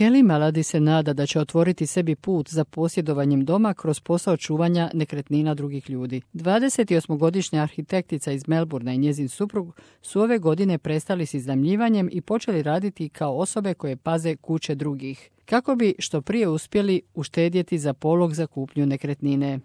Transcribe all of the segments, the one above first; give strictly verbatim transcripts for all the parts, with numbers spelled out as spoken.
Kelly Malady se nada da će otvoriti sebi put za posjedovanjem doma kroz posao čuvanja nekretnina drugih ljudi. dvadesetosmogodišnja arhitektica iz Melbourna i njezin suprug su ove godine prestali s iznajmljivanjem i počeli raditi kao osobe koje paze kuće drugih, kako bi što prije uspjeli uštedjeti za polog za kupnju nekretnine.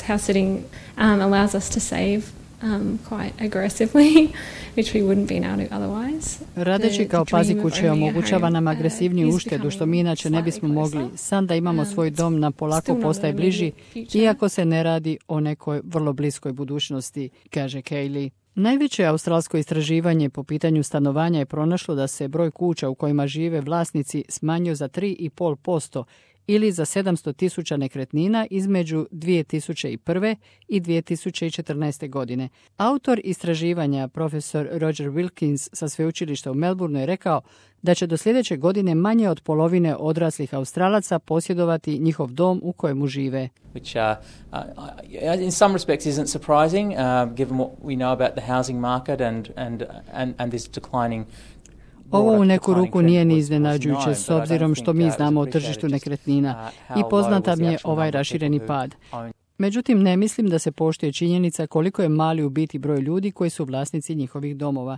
House sitting um, allows us to save Um, quite aggressively, which we wouldn't been able to otherwise. Radeći kao pazi kuće omogućava nam agresivniju uštedu, što mi inače ne bismo mogli. San da imamo svoj dom nam polako postaje bliži, iako se ne radi o nekoj vrlo bliskoj budućnosti, kaže Kaylee. Najveće australsko istraživanje po pitanju stanovanja je pronašlo da se broj kuća u kojima žive vlasnici smanjio za tri zarez pet posto ili za sedamsto tisuća nekretnina između dvije tisuće prve i dvije tisuće četrnaeste. godine. Autor istraživanja, profesor Roger Wilkins sa sveučilišta u Melbourneu, je rekao da će do sljedeće godine manje od polovine odraslih Australaca posjedovati njihov dom u kojemu žive. Which uh, uh, in some respects isn't surprising, uh, given what we know about the housing market and, and, and, and this declining. Ovo u neku ruku nije ni iznenađujuće s obzirom što mi znamo o tržištu nekretnina i poznata mi je ovaj rašireni pad. Međutim, ne mislim da se poštuje činjenica koliko je mali u biti broj ljudi koji su vlasnici njihovih domova.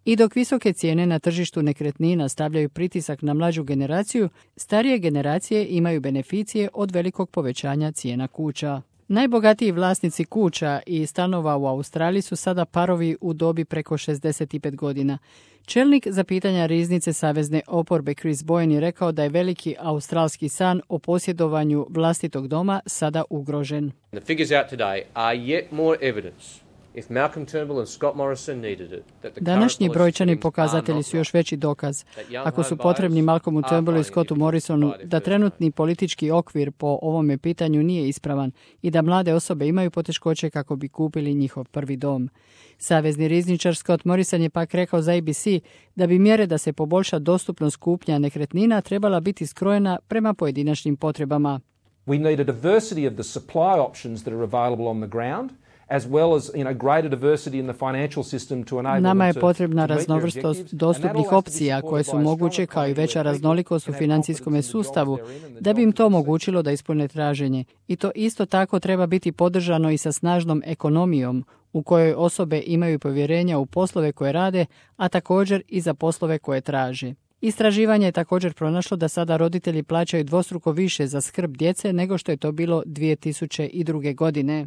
I dok visoke cijene na tržištu nekretnina stavljaju pritisak na mlađu generaciju, starije generacije imaju beneficije od velikog povećanja cijena kuća. Najbogatiji vlasnici kuća i stanova u Australiji su sada parovi u dobi preko šezdeset pet godina. Čelnik za pitanja riznice savezne oporbe Chris Bowen je rekao da je veliki australski san o posjedovanju vlastitog doma sada ugrožen. The figures out today are yet more evidence. If Malcolm Turnbull and Scott Morrison needed it, that the Današnji brojčani pokazatelji su još veći dokaz. Ako su potrebni Malcolmu Turnbullu i Scottu Morrisonu da trenutni politički okvir po ovome pitanju nije ispravan i da mlade osobe imaju poteškoće kako bi kupili njihov prvi dom. Savezni rizničar Scott Morrison je pak rekao za A B C da bi mjere da se poboljša dostupnost kupnja nekretnina trebala biti skrojena prema pojedinačnim potrebama. We need a diversity of the supply options that are available on the ground, as well as, you know, greater diversity in the financial system to enable. Nama je potrebna raznovrstost dostupnih opcija koje su moguće, kao i veća raznolikost u financijskom sustavu, da bi im to omogućilo da ispune traženje. I to isto tako treba biti podržano i sa snažnom ekonomijom u kojoj osobe imaju povjerenja u poslove koje rade, a također i za poslove koje traže. Istraživanje je također pronašlo da sada roditelji plaćaju dvostruko više za skrb djece nego što je to bilo dvije tisuće druge. godine.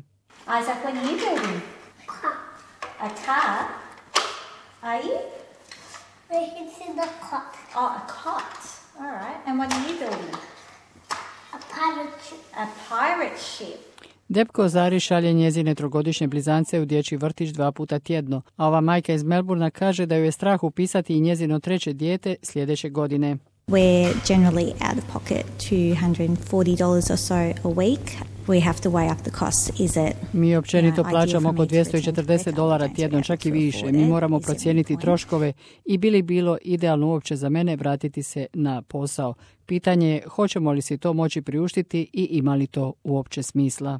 Isaac, what are you building? A car? Are you? It's in the cot. Oh, a cot. All right. And what are you building? A pirate ship. A pirate ship. Deb Kozari šalje njezine trogodišnje blizance u dječji vrtić dva puta tjedno, a ova majka iz Melbourna kaže da ju je strah upisati i njezino treće dijete sljedeće godine. We're generally out of pocket two hundred forty dollars or so a week. We have to weigh up the costs. Is it, Mi općenito plaćamo oko dvjesto četrdeset dolara tjedno, čak i više. Mi moramo procijeniti troškove i bi li bilo idealno uopće za mene vratiti se na posao. Pitanje je hoćemo li si to moći priuštiti i ima li to uopće smisla.